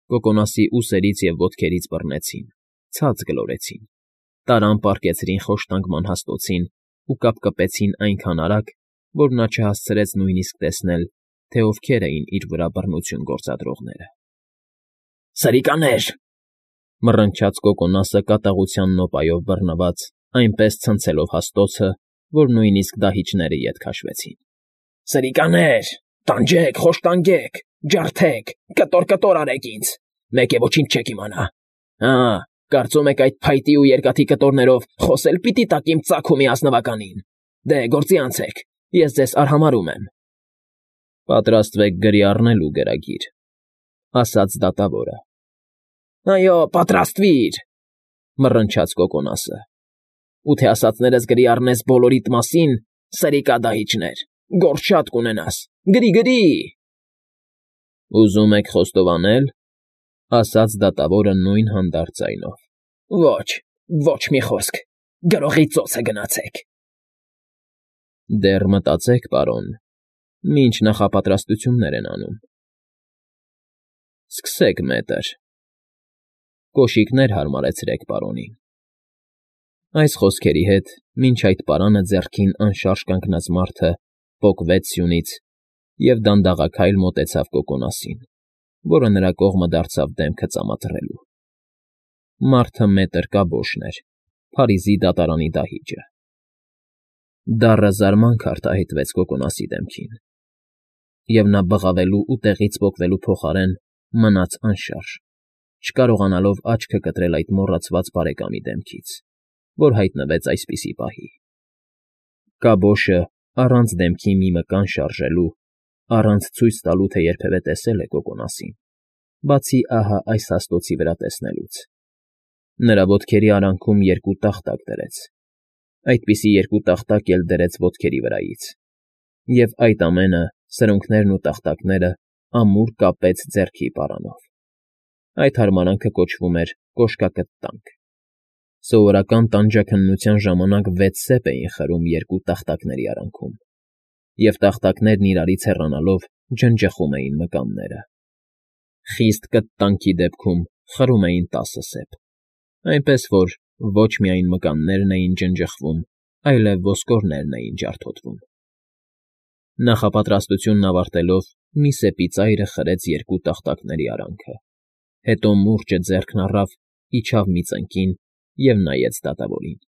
Կոկոնասի ուսերից և ոտքերից բռնեցին, ցած գլորեցին, տարան պառկեցրին խոշտանգման հաստոցին ու կապկպեցին այնքան արագ, որ նա չհասցրեց նույնիսկ տեսնել, թե ովքեր էին իր վրա բռնություն գործադրողները։ ֊ Սրիկաներ,֊ մռնչաց Կոկոնասը կատաղության նոպայով բռնված, այնպես ցնցելով հաստոցը, որ նույնիսկ դահիճները ետ քաշվեցին։ ֊ Սրիկաներ, տանջեք, խոշտանգեք, ջարդեք, կտոր արեք ինձ, մեկ է ոչինչ չեք իմանա։ Հա, կարծում եք այդ փայտի ու երկաթի կտորներով խոսել պիտի տաք իմ ծագումի ազնվականին։ Դե, գործի անցեք, ես ձեզ արհամարհում եմ։ ֊ Պատրաստվեք գրի առնելու, գրագիր,֊ ասաց դատավորը։ ֊ Այո, պատրաստվիր,֊ մռնչաց Կոկոնասը։ ֊ Ու թե ասածներս գրի առնես բոլորիդ մասին, սրիկա֊դահիճներ, գործ շատ կունենաս, գրի։ ֊ Ուզում եք խոստովանել,֊ ասաց դատավորը նույն հանդարտ ձայնով։ ֊ Ոչ մի խոսք, գրողի ծոցը գնացեք։ ֊ Դեռ մտածեք, պարոն, մինչ նախապատրաստություններ են անում։ ֊ Սկսեք, մետր… Կոշիկներ հարմարեցրեք պարոնին… Այս խոսքերի հետ մինչ այդ պարանը ձեռքին անշարժ կանգնած մարդը պոկվեց սյունից և դանդաղաքայլ մոտեցավ Կոկոնասին, որը նրա կողմը դարձավ դեմքը ծամածռելու։ Մարդը մետր կաբոշն էր, Փարիզի դատարանի դահիճը։ Դառը զարմանք արտահայտվեց Կոկոնասի դեմքին, և նա բղավելու ու տեղից պոկվելու փոխարեն մնաց անշարժ, չկարողանալով աչքը կտրել այդ մոռացված բարեկամի դեմքից, որ հայտնվեց այսպիսի պահի։ Կաբոշը, առանց դեմքի մի մկան շարժելու, առանց ցույց տալու, թե երբևէ տեսել է Կոկոնասին, բացի ահա այս հաստոցի վրա տեսնելուց, նրա ոտքերի արանքում երկու տախտակ դրեց, այդպիսի երկու տախտակ էլ դրեց ոտքերի վրայից, և այդ ամենը, սրունքներն ու տախտակները ամուր կապեց ձեռքի պարանով։ Այդ հարմարանքը կոչվում էր կոշկակտտանք։ Սովորական տանջաքննության ժամանակ 6 սեպ էին խրում երկու տախտակների արանքում, և տախտակներն իրարից հեռանալով ջնջխում էին մկանները։ Խիստ կտտանքի դեպքում խրում էին 10 սեպ, այնպես որ ոչ միայն մկաններն էին ջնջխվում, այլև ոսկորներն էին ջարդոտվում։ Նախապատրաստությունն ավարտելով մի սեպի ծայրը խրեց երկու տախտակների արանքը, հետո մուրճը ձեռքն առավ, իջավ մի ծնկին և նայեց դատավորին։ ֊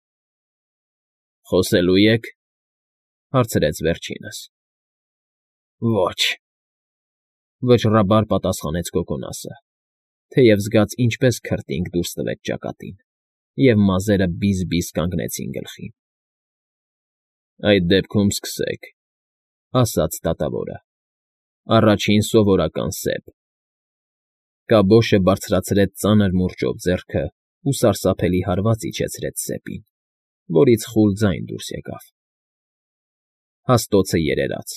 Խոսելո՞ւ եք,֊ հարցրեց վերջինս։ ֊ Ոչ,֊ վճռաբար պատասխանեց Կոկոնասը, թեև զգաց ինչպես քրտինք դուրս տվեց ճակատին, և մազերը բիզ֊բիզ կանգնեցին գլխին։ ֊ Այդ դեպքում սկսեք,֊ ասաց դատավորը։ Առաջին սովորական սեպ… Կաբոշը բարձրացրեց ծանր մուրճով ձեռքը ու սարսափելի հարված իջեցրեց սեպին, որից խուլ ձայն դուրս եկավ։ Հաստոցը երերաց։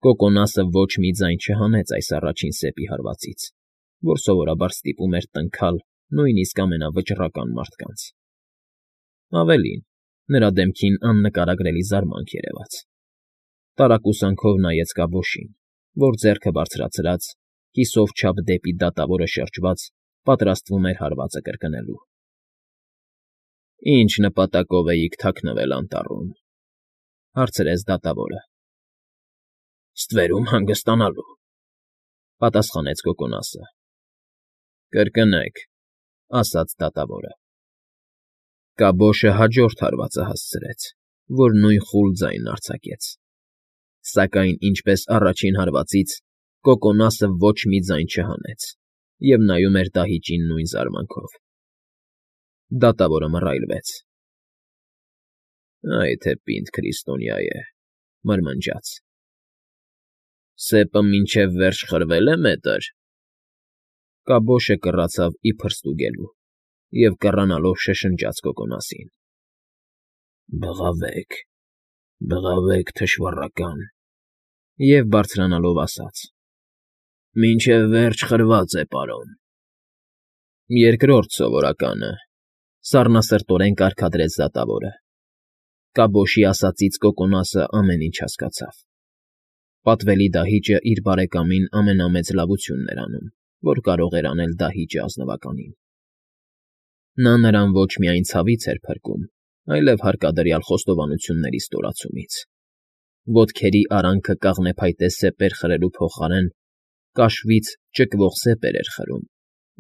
Կոկոնասը ոչ մի ձայն չհանեց այս առաջին սեպի հարվածից, որ սովորաբար ստիպում էր տնքալ նույնիսկ ամենավճռական մարդկանց։ Ավելին, նրա դեմքին աննկարագրելի զարմանք երևաց։ Տարակուսանքով նայեց կաբոշին, որ ձեռքը բարձրացրած, կիսով չափ դեպի դատավորը շրջված, պատրաստվում էր հարվածը կրկնելու։ ֊ Ինչ նպատակով էիք թաքնվել անտառում,֊ հարցրեց դատավորը։ ֊ Ստվերում հանգստանալու,֊ պատասխանեց Կոկոնասը։ ֊ Կրկնեք,֊ ասաց դատավորը։ Կաբոշը հաջորդ հարվածը հասցրեց, որ նույն խուլ ձայնն արձակեց, սակայն, ինչպես առաջին հարվածից, Կոկոնասը ոչ մի ձայն չհանեց և նայում էր դահիճին նույն զարմանքով։ Դատավորը մռայլվեց։ ֊ Այ թե պինդ քրիստոնյա է,֊ մրմնջաց։ ֊ Սեպը մինչև վերջ խրվե՞լ է, մետր… Կաբոշը կռացավ իբր ստուգելու և կռանալով շշնջաց Կոկոնասին։ ֊ Բղավեք, բղավեք, թշվառական… Եվ բարձրանալով ասաց. ֊ Մինչև վերջ խրված է, պարոն։ ֊ Երկրորդ սովորականը,֊ սառնասրտորեն կարգադրեց դատավորը։ Կաբոշի ասածից Կոկոնասը ամեն ինչ հասկացավ։ Պատվելի դահիճը իր բարեկամին ամենամեծ լավությունն էր անում որ կարող էր անել դահիճը ազնվականին։ Նա նրան ոչ միայն ցավից էր փրկում, այլև հարկադրյալ խոստովանությունների ստորացումից։ Ոտքերի արանքը կաղնեփայտե սեպեր խրելու փոխարեն կաշվից ճկվող սեպեր էր խրում,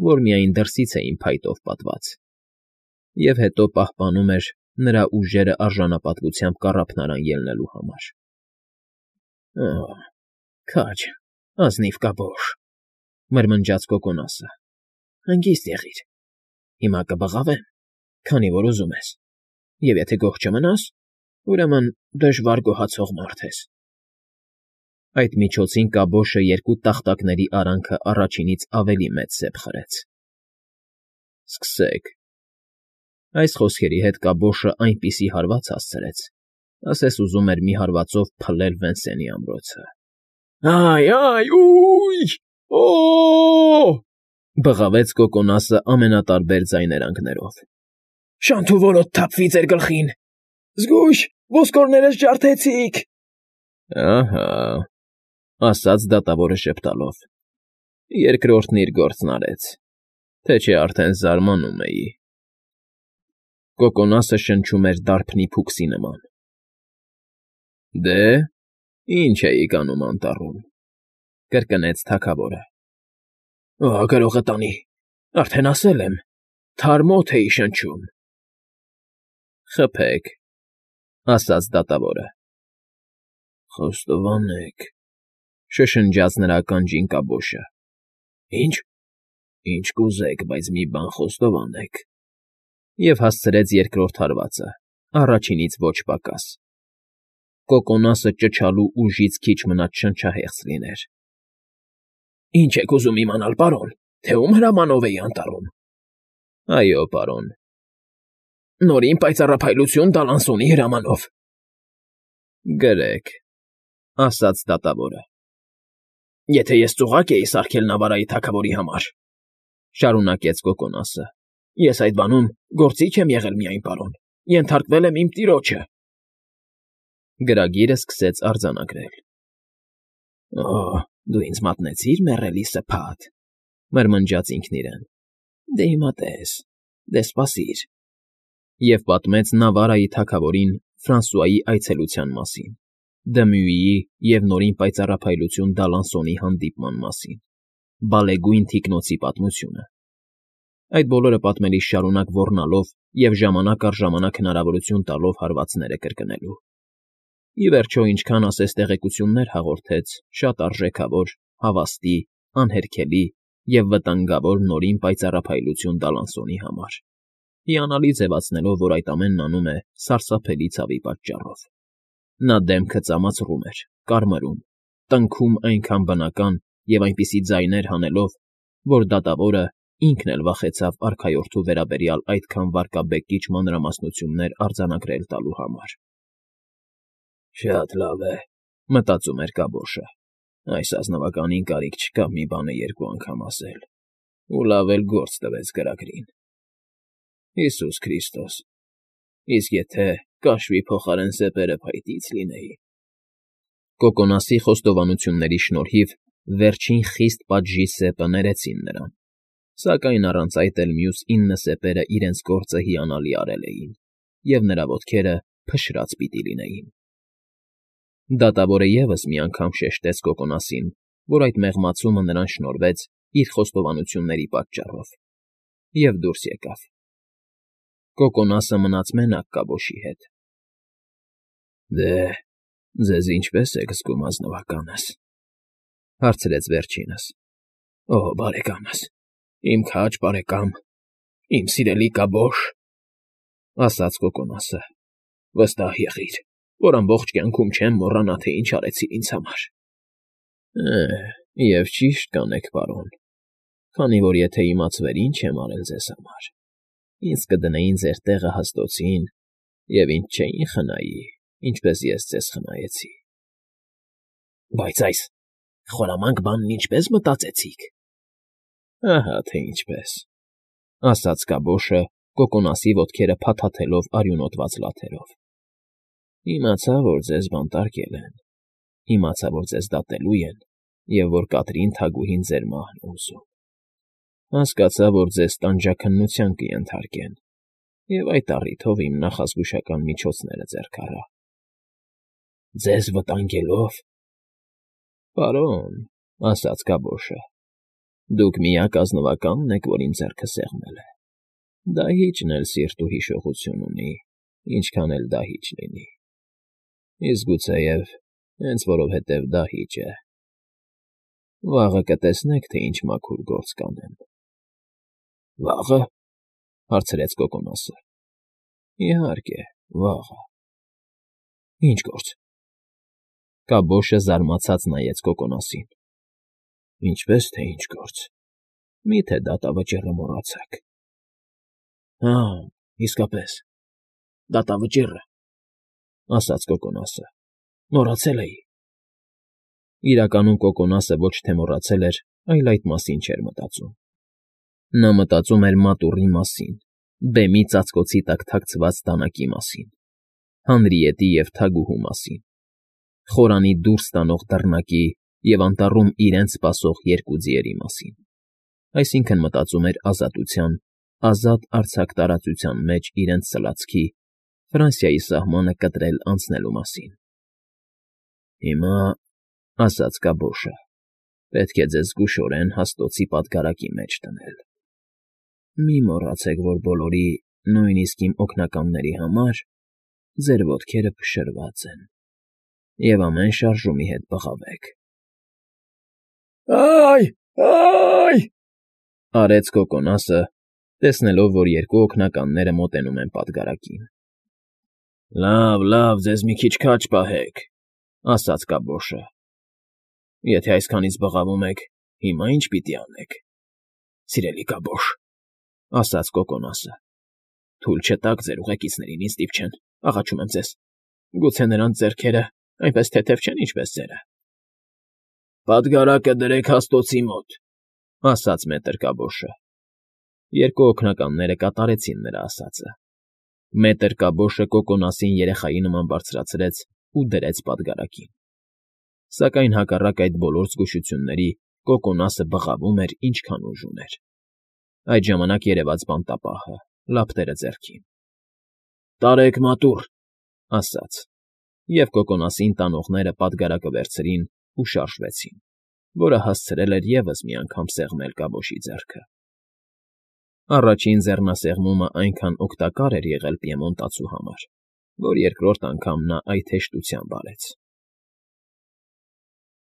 որ միայն դրսից էին փայտով պատված, և հետո պահպանում էր նրա ուժերը արժանապատվությամբ կառափնարան ելնելու համար։ «Օ՜, քաջ, ազնիվ կաբոշ,֊ մրմնջաց Կոկոնասը։֊ Հանգիստ եղիր, հիմա կբղավեմ, քանի որ ուզում ես, և եթե գոհ չմնաս, ուրեմն դժվար գոհացող մարդ ես»։ Այդ միջոցին կաբոշը երկու տախտակների արանքը առաջինից ավելի մեծ սեպ խրեց։ «Սկսեք…»։ Այս խոսքերի հետ կաբոշը այնպիսի հարված հասցրեց, ասես ուզում էր մի հարվածով փլել Վենսենի ամրոցը։ «Այ, ո՜յ, օ՜օ…»։ Բղավեց Կոկոնասը ամենատարբեր ձայներանգներով։ «Շանթուորոտ թափվի ձեր գլխին… Զգույշ, ոսկորներս ջարդեցիք»։ «Ահա…֊ ասաց դատավորը ժպտալով։֊ Երկրորդն իր գործն արեց, թե չէ արդեն զարմանում էի»։ Կոկոնասը շնչում էր դարբնի փուքսի նման։ «Դե, ի՞նչ էիք անում անտառում,֊ կրկնեց թագավորը։ «Գրողը տանի, արդեն ասել եմ, թարմոթ էի շնչում»։ «Խփեք,֊ ասաց դատավորը։ «Խոստովանեք,֊ շշնջաց նրա ականջին կաբոշը։ «Ի՞նչ։ Ինչ կուզեք, բայց մի բան խոստովանեք»։ Եվ հասցրեց երկրորդ հարվածը, առաջինից ոչ պակաս։ Կոկոնասը ճչալու ուժից քիչ մնաց շնչահեղձ լիներ։ «Ի՞նչ եք ուզում իմանալ, պարոն, թե ում հրամանով էի անտառում»։ «Այո, պարոն»։ «Նորին պայծառափայլություն Դալանսոնի հրամանով»։ «Գրեք,֊ ասաց դատավորը։ «Եթե ես ծուղակ էի սարքել Նավարայի թագավորի համար,֊ շարունակեց Կոկոնասը,֊ ես այդ բանում գործիչ եմ եղել միայն, պարոն, ենթարկվել եմ իմ տիրոջը»։ Գրագիրը սկսեց արձանագրել։ «Օ՜, դու ինձ մատնեցիր, մեռելի սփատ,֊ մրմնջաց ինքն իրեն։֊ Դե հիմա տես, դե սպասիր…» Եվ պատմեց Նավարայի թագավորին Ֆրանսուայի այցելության մասին, Դմյուիի և նորին պայծառափայլություն Դալանսոնի հանդիպման մասին, բալեգույն թիկնոցի պատմությունը։ Այդ բոլորը պատմելիս շարունակ ոռնալով և ժամանակ առ ժամանակ հնարավորություն տալով հարվածները կրկնելու։ Ի վերջո, ինչքան ասես տեղեկություններ հաղորդեց շատ արժեքավոր, հավաստի, անհերքելի և վտանգավոր նորին պայծառափայլություն Դալանսոնի համար, հիանալի ձևացնելով, որ այդ ամենն անում է սարսափելի ցավի պատճառով։ Նա դեմքը ծամացրում էր, կարմրում, տնքում այնքան բնական և այնպիսի ձայներ հանելով, որ դատավորը ինքն էլ վախեցավ արքայորդու վերաբերյալ այդքան վարկաբեկիչ մանրամասնություններ արձանագրել տալու համար։ «Շատ լավ է,֊ մտածում էր կաբոշը,֊ այս ազնվականին կարիք չկա մի բանը երկու անգամ ասել, ու լավ էլ գործ տվեց գրագրին։ Հիսուս Քրիստոս, իսկ եթե կաշվի փոխարեն սեպերը փայտից լինեին…»։ Կոկոնասի խոստովանությունների շնորհիվ վերջին խիստ պատժի սեպը ներեցին նրան, սակայն առանց այդ էլ մյուս 9 սեպերը իրենց գործը հիանալի արել էին, և նրա ոտքերը փշրած պիտի լինեին։ Դատավորը ևս մի անգամ շեշտեց Կոկոնասին, որ այդ մեղմացումը նրան շնորհվեց իր խոստովանությունների պատճառով, և դուրս եկավ։ Կոկոնասը մնաց մենակ կաբոշի հետ։ «Դե, ձեզ ինչպե՞ս եք զգում, ազնվականս,֊ հարցրեց վերջինս։ Օ, բարեկամս, իմ քաջ բարեկամ, իմ սիրելի կաբոշ…֊ ասաց Կոկոնասը,֊ վստահ եղիր, որ ամբողջ կյանքում չեմ մոռանա, թե ինչ արեցիր ինձ համար»։ Եվ ճիշտ կանեք, պարոն, քանի որ եթե իմացվեր ինչ եմ արել ձեզ համար, ինձ կդնեին ձեր տեղը հաստոցին և ինձ չէին խնայի, ինչպես ես ձեզ խնայեցի։ «Բայց այս խորամանկ բանն ինչպե՞ս մտածեցիք»։ «Ահա թե ինչպես…֊ ասաց կաբոշը, Կոկոնասի ոտքերը փաթաթելով արյունոտված լաթերով։ Իմացա, որ ձեզ բանտարկել են, իմացա, որ ձեզ դատելու են և որ Կատրին թագուհին ձեր մահն է ուզում։ Հասկացա, որ ձեզ տանջաքննության կենթարկեն, և այդ առիթով իմ նախազգուշական միջոցները ձեռք առա։ ֊ Ձեզ վտանգելով։ ֊ Պարոն,֊ ասաց կաբոշը,֊ դուք միակ ազնվականն եք, որ իմ ձեռքը սեղմել է։ Դահիճն էլ սիրտ ու հիշողություն ունի, ինչքան էլ դահիճ լինի, իսկ գուցեև հենց որովհետև դահիճ է։ Վաղը կտեսնեք, թե ինչ մաքուր գործ կանեմ։ ֊ Վաղը,֊ հարցրեց կոկոնոսը։ ֊ Իհարկե, վաղը։ ֊ Ի՞նչ գործ։ Կաբոշը զարմացած նայեց կոկոնոսին։ ֊ Ինչպես թե ինչ գործ, մի՞թե դատավճիռը մոռացաք։ ֊ Հա, իսկապես, դատավճիռը,֊ ասաց կոկոնոսը,֊ մոռացել էի։ Իրականում կոկոնոսը ոչ թե մոռացել էր, այլ այդ մասին չէր մտածում։ Նա մտածում էր մատուռի մասին, բեմի ծածկոցի տակ թաքցված դանակի մասին, հանրիետի և թագուհու մասին, խորանի դուրս տանող դռնակի և անտառում իրենց սպասող երկու ձիերի մասին, այսինքն՝ մտածում էր ազատության, ազատ արձակ տարածության մեջ իրենց սլացքի, Ֆրանսիայի սահմանը կտրել անցնելու մասին։ ֊ Հիմա,֊ ասաց կաբոշը,֊ պետք է ձեզ զգուշորեն հաստոցի պատգարակի մեջ դնել։ Մի մոռացեք, որ բոլորի, նույնիսկ իմ օգնականների համար ձեր ոտքերը փշրված են, և ամեն շարժումի հետ բղավեք։ Ա՜յ,, արեց կոկոնոսը, տեսնելով, որ երկու օգնականները մոտենում են պատգարակին։ ֊ Լավ, ձեզ մի քիչ քաջ պահեք,֊ ասաց կաբոշը։ ֊ Եթե այսքանից բղավում եք, հիմա ի՞նչ պիտի անենք։ ֊ Սիրելի կաբոշ,֊ ասաց կոկոնոսը,֊ թույլ չտաք ձեր ուղեկիցներին ինձ դիպչեն, աղաչում եմ ձեզ, գուցե նրանց ձեռքերը այնպես թեթև չեն, ինչպես ձերը։ ֊ Պատգարակը դրեք հաստոցի մոտ,֊ ասաց մետր Կաբոշը։ Երկու օգնականները կատարեցին նրա ասածը։ Մետր Կաբոշը կոկոնոսին երեխայի նման բարձրացրեց ու դրեց պատգարակին։ Սակայն հակառակ այդ բոլոր զգուշությունների կոկոնոսը բղավում էր, ինչքան ուժ ուներ։ Այդ ժամանակ երևաց բանտապահը, լապտերը ձեռքին։ ֊ Տարեք մատուռ,֊ ասաց, և կոկոնոսին տանողները պատգարակը վերցրին ու շարժվեցին, որը հասցրել էր ևս մի անգամ սեղմել կաբոշի ձեռքը։ Առաջին ձեռնասեղմումն այնքան օգտակար էր եղել Պիեմոնտացու համար, որ երկրորդ անգամ նա այդ հեշտությամբ արեց։